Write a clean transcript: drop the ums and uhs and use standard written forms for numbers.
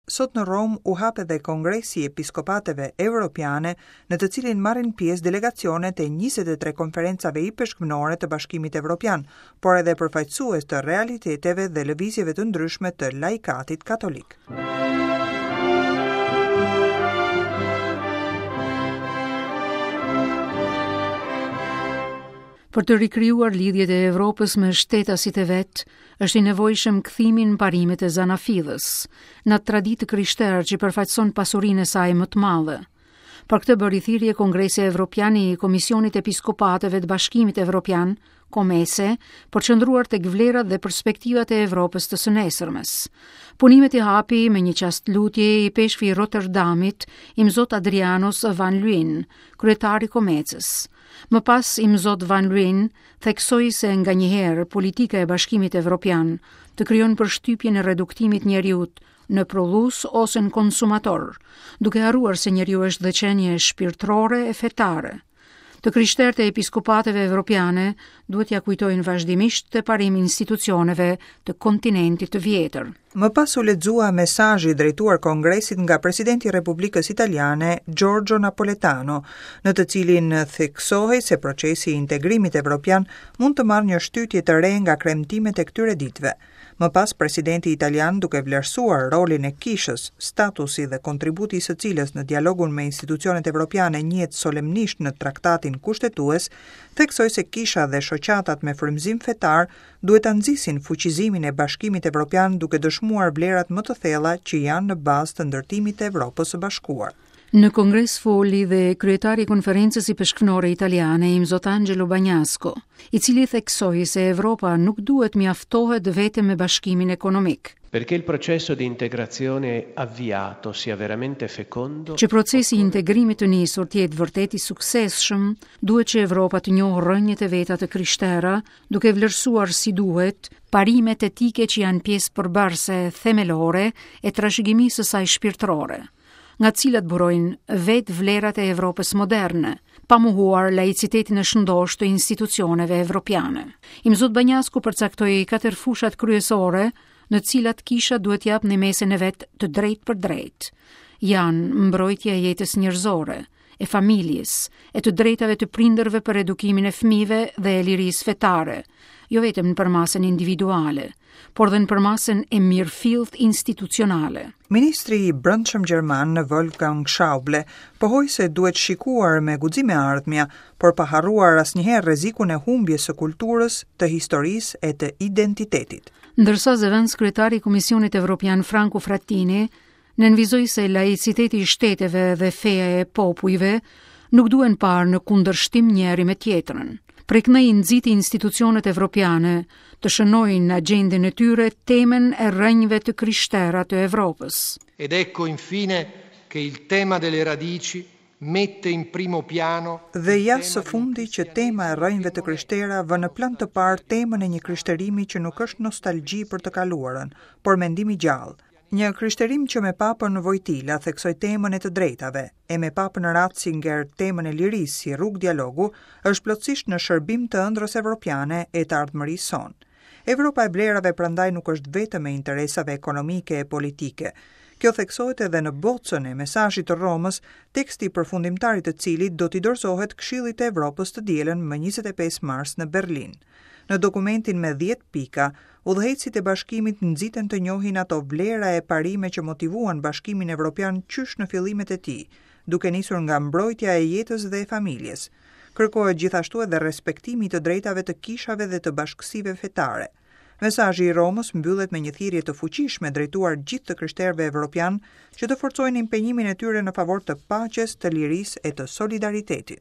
Sot në Romë u hap edhe Kongresi i Episkopateve Evropiane, në të cilin marrin pjesë delegacionet e 23 konferencave ipeshkvnore të Bashkimit Evropian, por edhe përfaqësues të realiteteve dhe lëvizjeve të ndryshme të laikatit katolik. Për të rikrijuar lidhjet e Evropës me shtetasit e vet, është i nevojshëm kthimi në parimet e zanafillës, në atë traditë të krishterë që përfaqëson pasurinë e saj më të madhe. Për këtë bëri thirrje Kongresi Evropian i Komisionit Episkopateve të Bashkimit Evropian, COMECE, përqendruar tek vlerat dhe perspektivat e Evropës të së nesërmes. Punimet i hapi me një çast lutje ipeshkvi i Rotterdamit, Imzot Adrianus Van Luyn, kryetar i COMECE-s. Më pas, Imzot Van Luyn theksoi se nganjëherë politika e Bashkimit Evropian të krijon përshtypjen e reduktimit njeriut në prodhues ose në konsumator, duke harruar se njeriu është dhe qenie shpirtërore e fetare. Të krishterët e episkopateve evropiane duhet t'ia kujtojnë vazhdimisht këtë parim institucioneve të kontinentit të vjetër. Më pas u lexua mesazhi drejtuar Kongresit nga presidenti i Republikës Italiane, Giorgio Napoletano, në të cilin theksohej se procesi i integrimit evropian mund të marrë një shtytje të re nga kremtimet e këtyre ditëve. Më pas presidenti italian duke vlerësuar rolin e kishës, statusi dhe kontributi i së cilës në dialogun me institucionet evropiane njihet solemnisht në traktatin kushtetues, theksoi se kisha dhe shoqatat me frymëzim fetar duhet ta nxisin fuqizimin e Bashkimit Evropian duke dëshmuar vlerat më të thella që janë në bazë të ndërtimit të Evropës së Bashkuar. Në kongres foli dhe kryetari i Konferencës Ipeshkvnore Italiane, Imzot Angelo Bagnasco, i cili theksoi se Evropa nuk duhet mjaftohet vetëm me bashkimin ekonomik. Perché il processo di integrazione avviato sia veramente fecondo. Që procesi i integrimit të nisur të jetë vërtet i suksesshëm, duhet që Evropa të njohë rrënjët e veta të krishtera, duke vlerësuar si duhet parimet etike që janë pjesë përbërëse themelore e trashëgimisë së saj shpirtërore, nga të cilat burojnë vetë vlerat e Evropës moderne, pa mohuar laicitetin e shëndoshë të institucioneve evropiane. Imzot Banjasku përcaktoi katër fushat kryesore në të cilat kisha duhet të japë ndihmesën e vet të drejtpërdrejtë. Janë mbrojtja e jetës njerëzore, e familjes, e të drejtave të prindërve për edukimin e fëmijëve dhe e lirisë fetare, jo vetëm në përmasën individuale, por dhe në përmasën e mirëfilltë institucionale. Ministri i Brendshëm gjerman Wolfgang Schäuble pohoi se duhet shikuar me guxim e ardhmja, por pa harruar asnjëherë rrezikun e humbjes së kulturës, të historisë e të identitetit. Ndërsa zëvendëskryetari i Komisionit Evropian Franco Frattini Nënvizoi se laiciteti i shteteve dhe feja e popujve nuk duhen parë në kundërshtim njëri me tjetrën. Prej këndej nxiti institucionet evropiane të shënojnë në agjendën e tyre temën e rrënjëve të krishtera të Evropës. Ed ecco infine che il tema delle radici mette in primo piano Dhe ja së fundi që tema e rrënjëve të krishtera vë në plan të parë temën e një krishterimi që nuk është nostalgji për të kaluarën, por mendim i gjallë. Një krishterim që me Papën Vojtila theksoi temën e të drejtave, e me Papën Ratzinger temën e lirisë si rrugë dialogu, është plotësisht në shërbim të ëndrrës evropiane e të ardhmërisë sonë. Evropa e vlerave prandaj nuk është vetëm e interesave ekonomike e politike. Kjo theksohet edhe në bocën e mesazhit të Romës, teksti përfundimtar i të cilit do t'i dorëzohet Këshillit të Evropës të dielën më 25 mars në Berlin. Në dokumentin me 10 pika, Udhëheqësit e Bashkimit nxiten të njohin ato vlera e parime që motivuan Bashkimin Evropian qysh në fillimet e tij, duke nisur nga mbrojtja e jetës dhe e familjes. Kërkohet gjithashtu edhe respektimi i të drejtave të kishave dhe të bashkësive fetare. Mesazhi i Romës mbyllet me një thirrje të fuqishme drejtuar gjithë të krishterëve evropianë që të forcojnë impenjimin e tyre në favor të paqes, të lirisë e të solidaritetit.